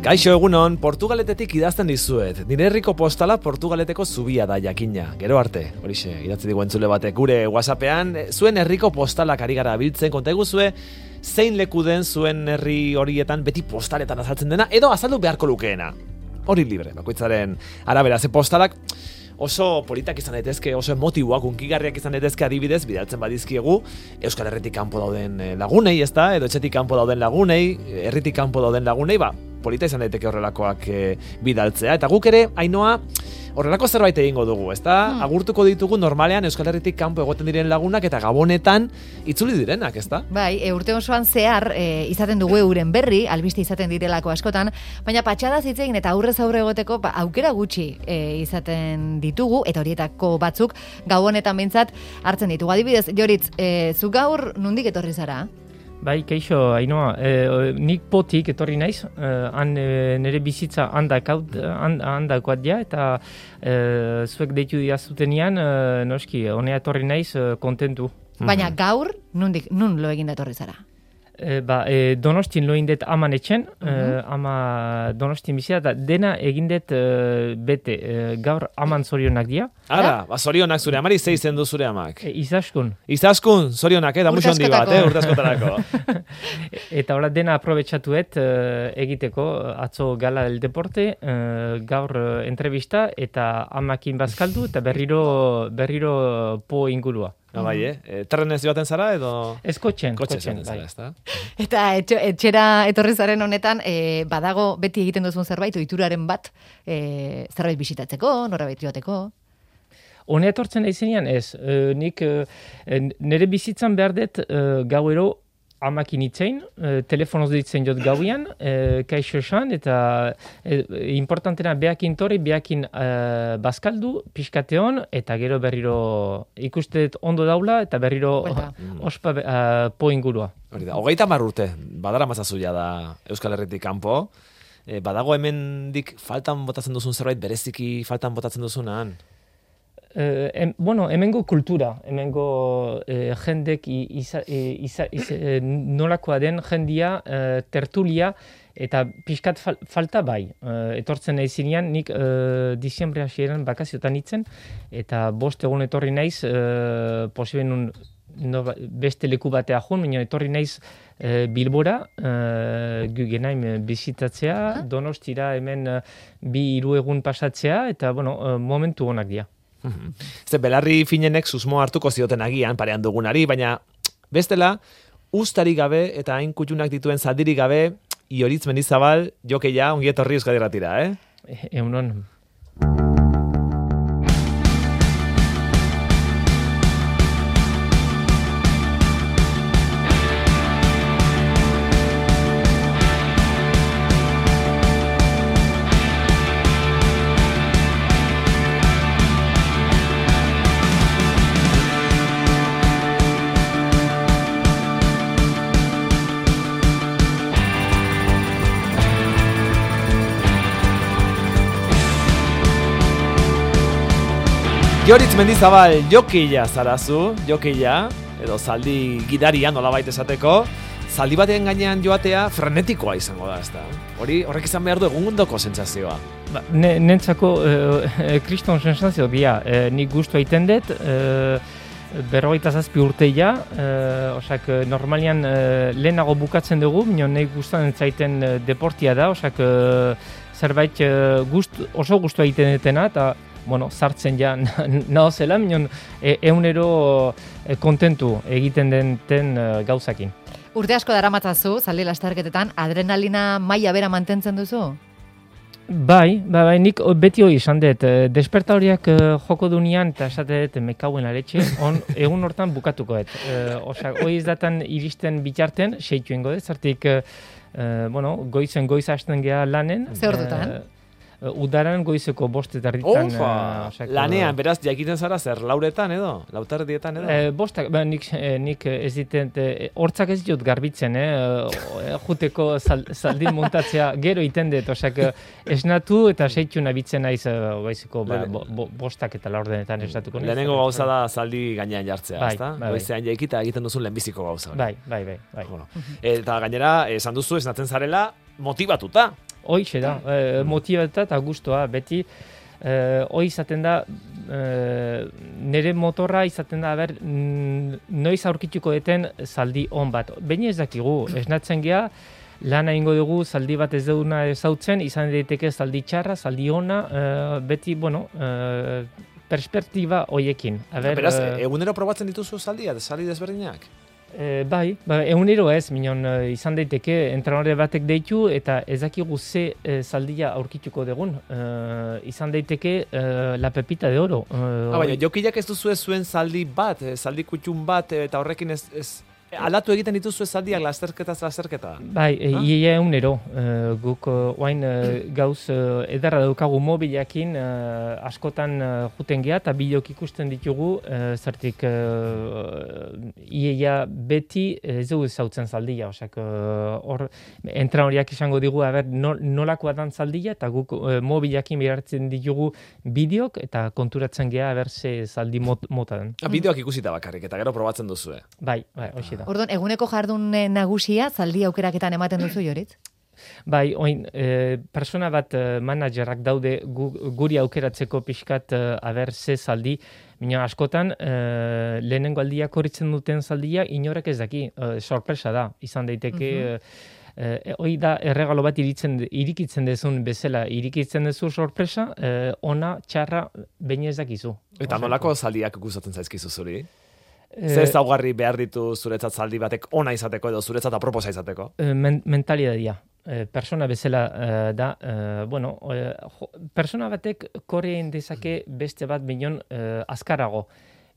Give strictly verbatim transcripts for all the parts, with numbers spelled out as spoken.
Kaixo egunon, Portugaletetik idazten dizuet. Nire herriko postala Portugaleteko zubia da jakina. Gero arte, horixe, idatzi digu entzule batek gure WhatsAppean, zuen herriko postalak ari gara biltzen, konta eguzue, zein leku den zuen herri horietan beti postaletan azaltzen dena, edo azaldu beharko lukeena. Hori libre, bakoitzaren arabera, ze postalak oso politak izan daitezke, oso emotiboak, unkigarriak izan daitezke adibidez, bidaltzen badizkiegu Euskal Herritik kanpo dauden lagunei, ezta? Edo etxetik kanpo dauden lagunei, herritik kanpo dauden lagunei, ba, polita izan daiteke horrelakoak e, bidaltzea. Eta guk ere, Ainoa, horrelako zerbait egingo dugu, ezta? Hmm. Agurtuko ditugu normalean Euskal Herritik kanpo egoten diren lagunak eta Gabonetan itzuli direnak, ezta? Bai, e, urte osoan zehar e, izaten dugu euren berri, albiste izaten direlako askotan, baina patxadaz hitz egin eta aurrez aurre egoteko ba, aukera gutxi e, izaten ditugu, eta horietako batzuk Gabonetan behintzat hartzen ditugu. Adibidez, Joritz, e, zu gaur nondik etorri zara? Bai, kaixo, Ainoa, e, nik potik etorri naiz, e, han e, nire bizitza handakoat and, ja, eta e, zuek deitu diazutenian, e, noski, honea etorri naiz e, kontentu. Baina gaur, nondik, nun lo egin etorri zara? E, ba, e, Donostin lo indet aman etxen, uh-huh. e, ama Donostin bizia, eta dena egindet e, bete, e, gaur aman zorionak dia. Ara, ba, zorionak zure amari, zei zendu zure amak? E, izaskun. Izaskun, zorionak, eh, da muxo handi bat, eh, urte askotarako. Eta hola dena aprobetxatuet e, egiteko, atzo gala del deporte, e, gaur e, entrevista, eta amakin bazkaldu, eta berriro, berriro po ingurua. No, bai, eh? Terrenez joaten zara edo? Ez kotxen, kotxen, bai. Zara, eta etxe, etxera etorri zaren honetan, e, badago beti egiten duzun zerbait, ohituraren bat, e, zerbait bisitatzeko, norabait joateko? Hone etortzen aizenean ez, e, nik e, nire bizitzan behar dut e, gauero amakin itzein, e, telefonoz ditzen jot gauian, e, kaixo esan, eta e, importantena behakin torri, behakin e, bazkaldu, pixkateon, eta gero berriro ikustet ondo daula, eta berriro mm. ospa e, po ingurua. Hori da, hogeita hamar urte, badara mazazuia da Euskal Herritik kanpo, e, badago hemendik faltan botatzen duzun zerbait, bereziki faltan botatzen duzunan? Eh, em, bueno, hemengo kultura, hemengo eh, jendek iza, iza, iza, eh, nolakoa den jendia, eh, tertulia, eta pixkat fal, falta bai. Eh, etortzen nahi zinean, nik eh, diziembre hasieran bakaziotan itzen, eta bost egun etorri naiz, eh, posiben un, no, beste leku batea joan, baina etorri naiz eh, Bilbora, eh, Guggenheim bizitatzea, uh-huh. Donostira hemen eh, bi hiru egun pasatzea, eta bueno, eh, momentu onak dira. Ze belarri finenek susmo hartuko zioten agian parean dugunari, baina bestela, ustarik gabe eta hain kutxunak dituen zaldirik gabe, Ioritz Mendizabal, jokeia, ongi etorri Euskadi Irratira, eh? E, Egunon. Ioritz Mendizabal, jokeia zarazu, jokeia, edo zaldi gidaria nolabait esateko, zaldi batean gainean joatea frenetikoa izango da, ezta? Hori, horrek izan behar du egundoko sentsazioa. Ba, ne, nentzako e, kriston sentsazio dia, e, nik gustu egiten dut, e, berrogeita zazpi urteia, e, osak, normalian e, lehenago bukatzen dugu, minon nahi gustatzen zaiten e, deportia da, osak, e, zerbait e, gust, oso gustu egiten dutena, eta bueno, sartzen ja naho zela, minon e, eunero e, kontentu egiten den ten e, gauzakin. Urte asko daramatzazu, zaldi lasterketetan, adrenalina maila bera mantentzen duzu? Bai, bai, bai, nik beti hori esan dut, desperta horiak uh, joko dunean, eta esate dut mekauen aretxe, on, egun hortan bukatuko dut. Uh, Osak, hori ez datan iristen bitarten, seitu ingo dut, zartik, uh, bueno, goizen goiz hasten geha lanen. Zer ordutan? Uh, udaran goizeko boste tarditan. Ofa, uh, lanean, beraz, jakiten zara zer, lauretan edo? Lautardietan edo? Eh, bostak, ba, nik, eh, nik ez ditent, eh, hortzak ez ditut garbitzen, eh, juteko zal, zaldin montatzea gero iten dut, osak, esnatu eta seitu nabitzen naiz goizeko ba, bo, bo, bostak eta laurdenetan esnatuko naiz. Lehenengo gauza da zaldi gainean jartzea, bai, ezta? Bai, goizean bai. Jaikita egiten duzun lehenbiziko gauza. Bai, bai, bai. bai. Bueno. Eta gainera, esan duzu, esnatzen zarela, motibatuta. Hoixe da, e, motibatuta eta gustoa, beti, e, hoi izaten da, e, nire motorra izaten da, ber, noiz aurkituko deten zaldi on bat. Baina ez dakigu, esnatzen geha, lan egingo dugu, zaldi bat ez duguna ezautzen, izan daiteke zaldi txarra, zaldi ona, e, beti, bueno, e, perspektiba hoiekin. Beraz, egunero probatzen dituzu zaldia, zaldi desberdinak? E, bai, ba, egunero ez, minon, e, izan daiteke, entrenore batek deitu, eta ez dakigu ze e, zaldia aurkituko dugun. E, izan daiteke e, la pepita de oro. E, ah, baina, jokilak ez duzu ez zuen zaldi bat, zaldi kutxun bat, eta horrekin ez... ez... Aldatu egiten dituzu zaldiak lasterketaz lasterketa? Bai, ia egunero. Uh, guk uh, oain uh, gauz uh, edarra daukagu mobilakin uh, askotan uh, juten geha eta bideok ikusten ditugu, uh, zertik uh, ia beti ez dugu zautzen zaldia. Osak, hor, uh, entrenoriak izango digu, aber, nol, nolakoa dan zaldia, eta guk uh, mobilakin biharatzen ditugu bideok, eta konturatzen geha, aber, ze zaldi mot, mota den. Ah, bideoak ikusita bakarrik, eta gero probatzen duzue. Bai, bai, hoxe. Orduan, eguneko jardun nagusia zaldi aukeraketan ematen duzu, Joritz? Bai, oin, e, persona bat e, managerak daude gu, guri aukeratzeko pixkat e, aber ze zaldi, mina askotan e, lehenengo aldiak horitzen duten zaldia inorek ez daki, e, sorpresa da, izan daiteke, uh-huh. e, hoi da erregalo bat iritzen, irikitzen dezun bezala, irikitzen dezu sorpresa, e, ona, txarra, baina ez dakizu. Eta nolako zaldiak gustatzen zaizkizu zuri? Ze ezaugarri behar ditu zuretzat zaldi batek ona izateko edo zuretzat aproposa izateko? Men, mentalidadia. E, persona bezala e, da, e, bueno, e, jo, persona batek koreen dezake beste bat minon e, azkarago.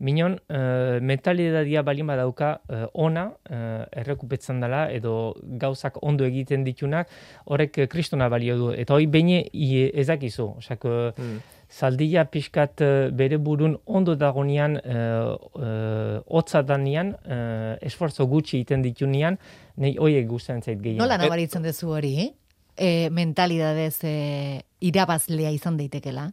Minon, e, mentalidadia balin badauka e, ona, e, errekupetzen dela, edo gauzak ondo egiten ditunak, horrek kristona balio du. Eta hori behin ezakizu. Osak, mm. Zaldia pixkat bere burun ondo dagonean, e, e, hotza danean, e, esforzo gutxi egiten ditunean, nahi hoiek guztien zait gehien. Nola nabaritzen duzu hori? E, mentalidadez e, irabazlea izan daitekela?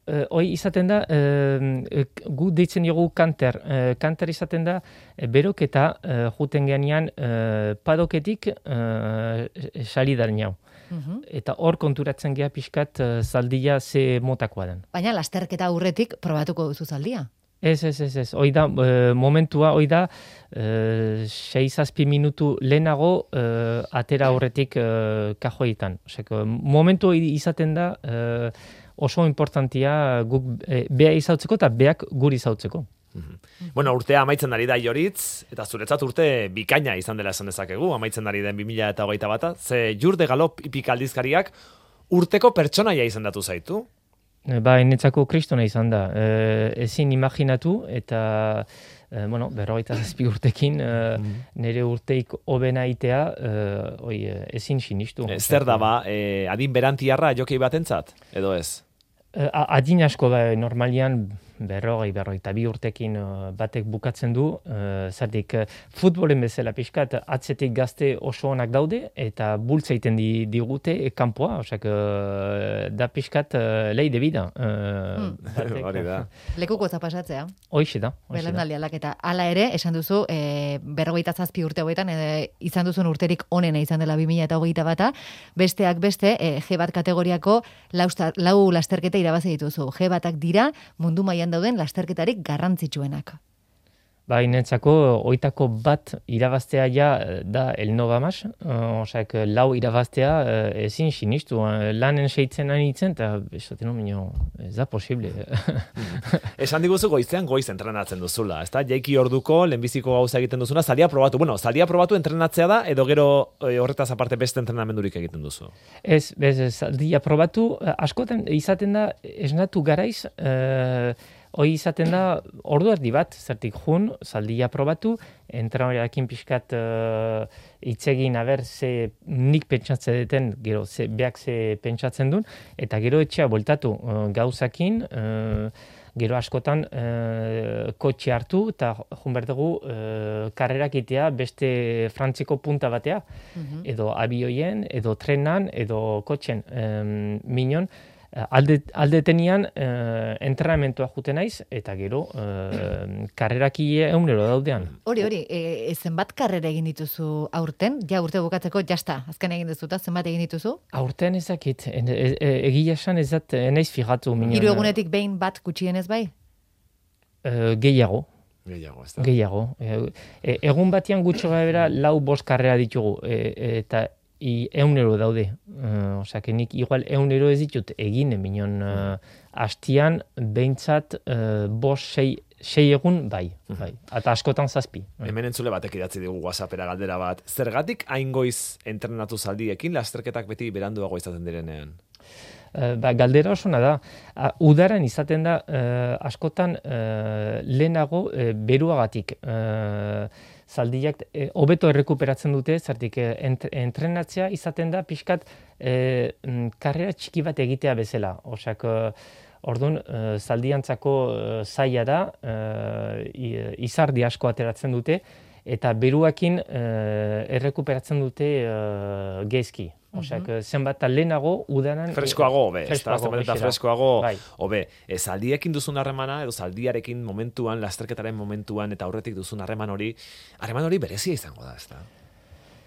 Uh, hoi izaten da, uh, gu deitzen dugu kanter. Uh, kanter izaten da, uh, beroketa uh, juten geanean uh, padoketik uh, salidaren jau. Uh-huh. Eta hor konturatzen geha pixkat uh, zaldia ze motakoa den. Baina lasterketa aurretik probatuko duzu zaldia? Ez, ez, ez, ez. Hoi da, uh, momentua, hoi da, uh, sei zazpi minutu lehenago uh, atera horretik uh, kajoetan. Oseko, momentu izaten da, uh, oso importantia guk e, bea izautzeko eta beak guri izautzeko. Mm-hmm. Bueno, urtea amaitzen ari da Joritz, eta zuretzat urte bikaina izan dela esan dezakegu, amaitzen ari den bi mila hogeita bata, ze Jur de Galop hipikaldizkariak urteko pertsonaia izendatu zaitu? E, ba, enetzako kristona izan da. E, ezin imaginatu, eta e, bueno, berrogeita zazpi urtekin, e, mm-hmm. nire urteik hobena itea, e, oi, ezin sinistu. E, zer da ba, e, adin berantiarra jokei batentzat, edo ez? Adin asko da, normalian berrogei, berrogeita bi urtekin uh, batek bukatzen du, uh, zertik uh, futbolen bezala pixkat atzetik gazte oso onak daude, eta bultza egiten di, digute e, kanpoa, osak uh, da pixkat uh, leide bida. Uh, hmm. Hori da. Lekuko zapasatzea. Hoixe da. Belanaldi aldaketa. Hala ere, esan duzu, e, berrogeita zazpi urte hauetan, e, izan duzun urterik onena izan dela bi mila hogeita bata, besteak beste, e, G bat kategoriako lau, lau lasterketa irabazi dituzu. G batak dira mundu mailan dauden lasterketarik garrantzitsuenak. Ba, inetzako, oitako bat irabaztea ja da el Nova Mas, uh, osak, lau irabaztea uh, ezin sinistu, uh, lanen seitzen anitzen, eta esaten nomino, ez da posible. Esan diguzu goizean goiz entrenatzen duzula, ez da? Jaiki orduko, lehenbiziko gauza egiten duzuna, zalia probatu. Bueno, zalia probatu entrenatzea da, edo gero e, horretaz aparte beste entrenamendurik egiten duzu? Ez, bez, zalia probatu, askotan izaten da, esnatu garaiz, uh, hoi izaten da, ordu erdi bat, zertik jun, zaldia probatu, entrenadorearekin pixkat uh, itzegin aber ze nik pentsatzen duten, gero ze, beak ze pentsatzen duen, eta gero etxea bueltatu uh, gauzakin, uh, gero askotan uh, kotxe hartu, eta jun berdugu uh, karrerak itea beste frantziko punta batea, mm-hmm. edo abioien, edo trenan, edo kotxen. Um, minon, alde, aldetenian uh, entrenamentua jute naiz, eta gero uh, karrerakie egunero daudean. Hori, hori, e, zenbat karrera egin dituzu aurten? Ja, urte bukatzeko, jasta, azken egin duzuta, zenbat egin dituzu? Aurten ezakit, e, e, e, egia esan ez dat, naiz fijatu. Hiru egunetik behin bat gutxienez bai? Uh, gehiago. Gehiago, ez da. Gehiago. E, egun batean gutxo gara lau bost karrera ditugu, e, eta I eunero daude. Uh, Osea, nik igual eunero ez ditut egin, minon uh, hastian behintzat uh, bost, sei, sei egun bai, bai. Eta askotan zazpi. Bai. Hemen entzule batek idatzi digu WhatsAppera galdera bat. Zergatik hain goiz entrenatu zaldiekin lasterketak beti beranduago izaten direnean? Uh, ba, galdera osona da. Uh, udaran izaten da uh, askotan uh, lehenago uh, beruagatik. Uh, zaldiak hobeto errekuperatzen dute, zertik ent, entrenatzea izaten da pixkat e, karrera txiki bat egitea bezala. Osak, orduan, e, zaldiantzako e, zaila da, e, izardi asko ateratzen dute, eta beruakin e, errekuperatzen dute e, gezki. Osak, uh-huh. zenbat lehenago udanan... Freskoago, hobe, ez da, zenbat eta freskoago, bai. hobe. E, zaldiekin duzun harremana, edo zaldiarekin momentuan, lasterketaren momentuan, eta aurretik duzun harreman hori, harreman hori berezia izango da, ez da?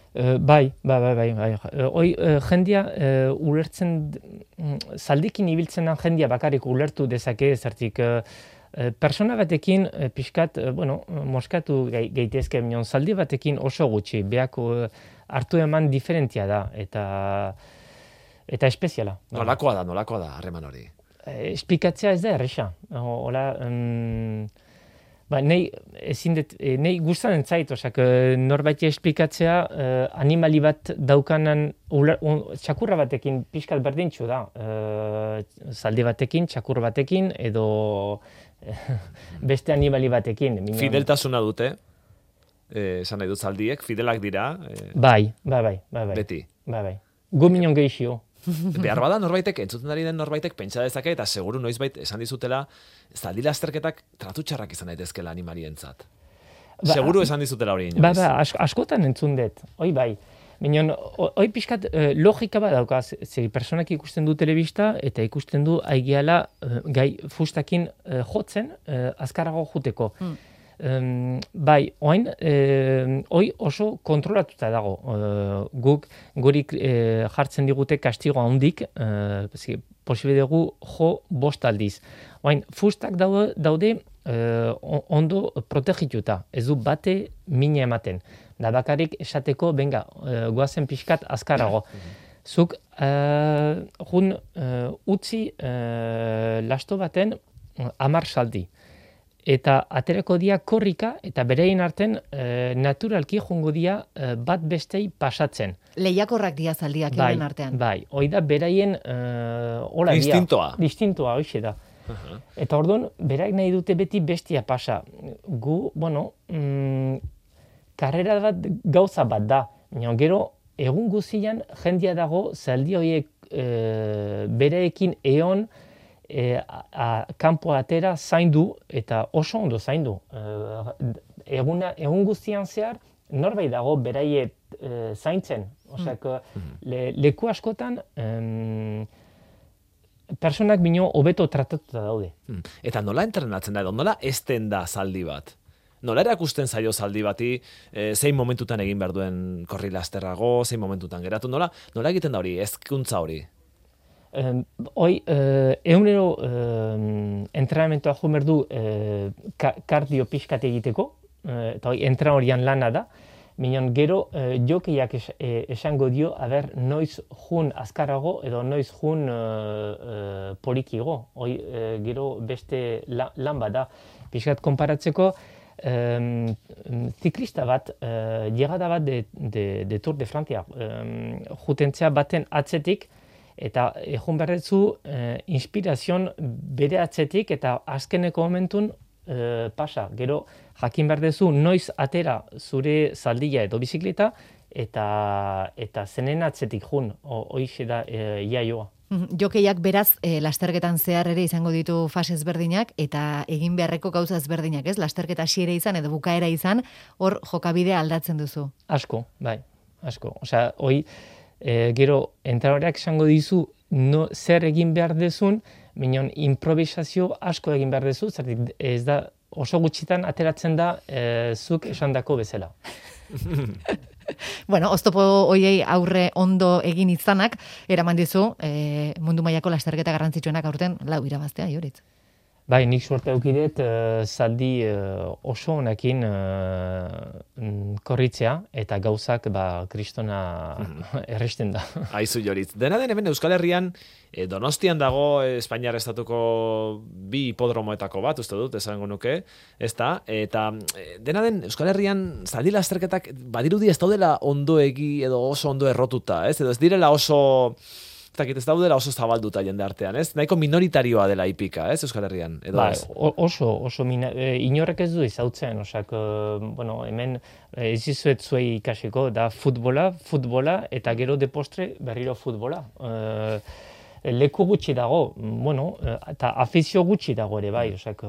Uh, bai, bai, bai, bai, bai. Uh, oi, uh, jendia uh, ulertzen, uh, zaldikin ibiltzenan jendia bakarrik ulertu dezake, zertik... Uh, Persona batekin, pixkat, bueno, moskatu gaitezke, minon, zaldi batekin oso gutxi, behako hartu eman diferentia da, eta eta espeziala. Nolakoa da, nolakoa da, harreman hori? Esplikatzea ez da erresa. Hola, um, ba, nei, ezin det, nei gustatzen zait, osak, norbait esplikatzea uh, animali bat daukanan, ular, un, txakurra batekin pixkat berdintxu da. Uh, zaldi batekin, txakur batekin, edo beste animali batekin. Minon. Fideltasuna dute, eh, esan nahi dut zaldiek, fidelak dira. Eh, bai, bai, bai, bai, bai. Beti. Bai, bai. Gu minon gehixio. Behar bada norbaitek, entzuten ari den norbaitek pentsa dezake, eta seguru noizbait esan dizutela, zaldi lasterketak tratu txarrak izan daitezkela animalientzat. Ba, seguru esan dizutela hori inoiz. Ba, ba, ask, askotan entzun dut, hoi bai. Minon, hoi pixkat eh, logika bat dauka, ze personak ikusten du telebista, eta ikusten du aigeala eh, gai fustakin eh, jotzen, eh, azkarago juteko. Hmm. Um, bai, oain, eh, hoi oso kontrolatuta dago. Uh, guk gurik eh, jartzen digute kastigo handik, eh, posible dugu jo bost aldiz. Oain, fustak daude, daude eh, ondo protegituta, ez du bate mina ematen. Da bakarrik esateko, benga, uh, goazen pixkat azkarago. Zuk, uh, jun, uh, utzi uh, lasto baten uh, amar saldi. Eta aterako dia korrika, eta berein arten uh, naturalki jungo dia uh, bat bestei pasatzen. Lehiakorrak dia zaldiak bai, euren artean. Bai, hoi da beraien uh, hola dia. Distintoa. Distintoa, hoxe da. Uh-huh. Eta orduan, berak nahi dute beti bestia pasa. Gu, bueno... Mm, karrera bat gauza bat da. Gero, egun guzian jendia dago zaldi horiek e, bereekin eon e, a, a, kanpo atera zaindu eta oso ondo zaindu. E, eguna, egun guztian zehar norbait dago beraie e, zaintzen. Osak, mm. le, leku askotan em, personak bino hobeto tratatuta daude. Mm. Eta nola entrenatzen da edo, nola esten da zaldi bat? Nola erakusten zaio zaldi bati, e, zein momentutan egin behar duen korri lasterrago, zein momentutan geratu, nola, nola egiten da hori, ezkuntza hori? Um, hoi, uh, egunero uh, entrenamentoa jo behar du uh, ka, kardio pixkat egiteko, uh, eta hoi, entran horian lana da, minon gero uh, jokeiak es, eh, esango dio, aber, noiz jun azkarago edo noiz jun uh, uh, polikigo, hoi, uh, gero beste la, lan bada, pixkat konparatzeko, Um, ziklista bat, uh, llegada bat de, de, de Tour de Francia, um, jutentzea baten atzetik, eta egun berretzu uh, inspirazion bere atzetik, eta azkeneko momentun uh, pasa. Gero, jakin berdezu noiz atera zure zaldia edo bizikleta, eta, eta zenen atzetik jun, hoixe da uh, iaioa. Jokeiak beraz, e, lasterketan zehar ere izango ditu fase ezberdinak eta egin beharreko gauza ezberdinak, ez? Lasterketa hasiera izan edo bukaera izan, hor jokabidea aldatzen duzu. Asko, bai, asko. Osea, hoi, e, gero, entradoreak esango dizu no, zer egin behar dezun, minon improvisazio asko egin behar dezu, zertik ez da oso gutxitan ateratzen da e, zuk esandako bezala. Bueno, oztopo hoiei aurre ondo egin izanak, eraman dizu, e, mundu mailako lasterketa garrantzitsuenak aurten lau irabaztea, Joritz. Bai, nik suerte aukidet, uh, zaldi uh, oso honekin uh, korritzea, eta gauzak ba, kristona erresten da. Aizu, Joritz. Dena den hemen Euskal Herrian, eh, Donostian dago eh, Espainiar estatuko bi hipodromoetako bat, uste dut, esango nuke, ez da, eta eh, dena den Euskal Herrian zaldi lasterketak badirudi ez daudela ondoegi edo oso ondo errotuta, ez? Edo ez direla oso... ez daudela oso zabalduta jende artean, ez? Nahiko minoritarioa dela hipika, ez, Euskal Herrian? Edo ba, ez? oso, oso, mina, e, inorrek ez du izautzen, osak, e, bueno, hemen ez izuet zuei ikasiko, da futbola, futbola, eta gero de postre berriro futbola. E, leku gutxi dago, bueno, eta afizio gutxi dago ere, bai, osak...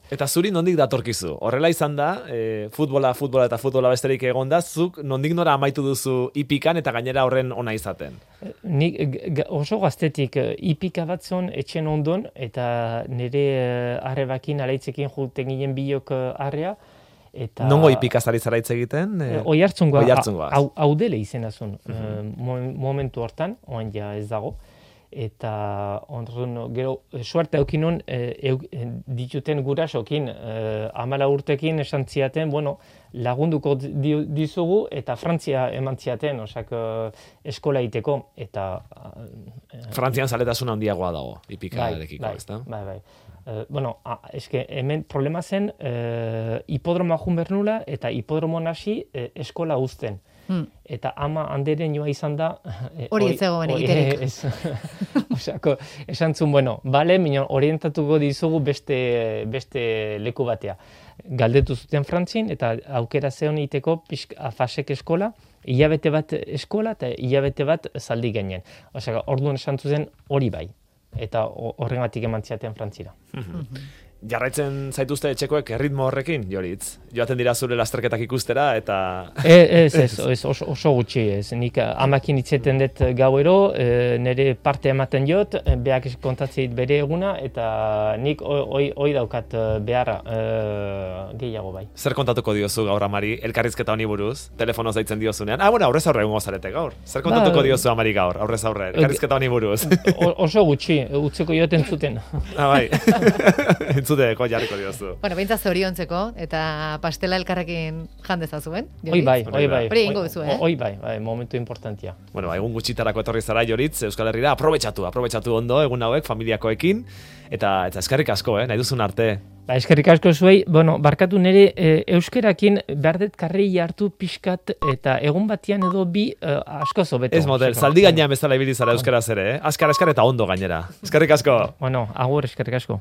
Eta zuri nondik datorkizu? Horrela izan da, e, futbola, futbola eta futbola besterik egon da, zuk nondik nora amaitu duzu hipikan eta gainera horren ona izaten? Nik oso gaztetik hipika bat zon etxen ondon, eta nire arrebakin alaitzekin julten ginen biok arrea. Eta... Nongo hipika zari zara hitz egiten? E, Oi hartzungoa, Oihartzungoa. hau, hau dele izena zuen, Mhm. momentu hortan, oan ja ez dago. Eta ondorun, gero, suerte aukinon, e, dituten gurasokin, e, amala urtekin esan ziaten, bueno, lagunduko di, dizugu eta Frantzia eman ziaten, osak, eskola iteko, eta... E, Frantzian zaletasuna handiagoa dago, hipikarekiko, bai, ez da? Bai, bai. Uh, bueno, a, eske, hemen problema zen, uh, hipodromoa jun behar nula, eta hipodromoan hasi uh, eskola uzten. Hmm. Eta ama handeren joa izan da... Hori ez zegoen egiterik. Osako, esan zuen, bueno, bale, minon, orientatuko dizugu beste, beste leku batea. Galdetu zuten Frantzin, eta aukera zeon iteko afasek eskola, hilabete bat eskola, eta hilabete bat zaldi genen. Osaka, orduan esan zuen hori bai. Eta horrengatik eman ziaten Frantzira. Jarraitzen zaituzte etxekoek erritmo horrekin, Joritz? Joaten dira zure lasterketak ikustera, eta... Ez, ez, ez, oso, oso gutxi, ez. Nik amakin itzeten dut gauero, e, nire parte ematen jot, beak kontatzeit bere eguna, eta nik hoi oi daukat beharra e, gehiago bai. Zer kontatuko diozu gaur amari, elkarrizketa honi buruz, telefono zaitzen diozunean? Ah, bueno, aurrez aurre egongo zarete gaur. Zer kontatuko ba, diozu amari gaur, aurrez aurre, elkarrizketa honi buruz? Oso gutxi, utzeko joten zuten. Ah, bai. Entzuteko jarriko diozu. Bueno, behintzat zoriontzeko, eta pastela elkarrekin jandezazuen. Hoi bai, hoi bai. Hori egingo duzu, eh? Hoi bai, bai, momentu importantia. Bueno, egun gutxitarako etorri zara, Joritz, Euskal Herrira, aprobetxatu, aprobetxatu ondo, egun hauek, familiakoekin, eta, eta eskerrik asko, eh, nahi duzun arte. Ba, eskerrik asko zuei, bueno, barkatu nire e, euskerakin berdet karrei hartu pixkat, eta egun batian edo bi e, asko zobeto. Ez model, zaldi gainean bezala ibili zara euskaraz ere, eh? Askar, askar eta ondo gainera. Eskerrik asko. Bueno, agur eskerrik asko.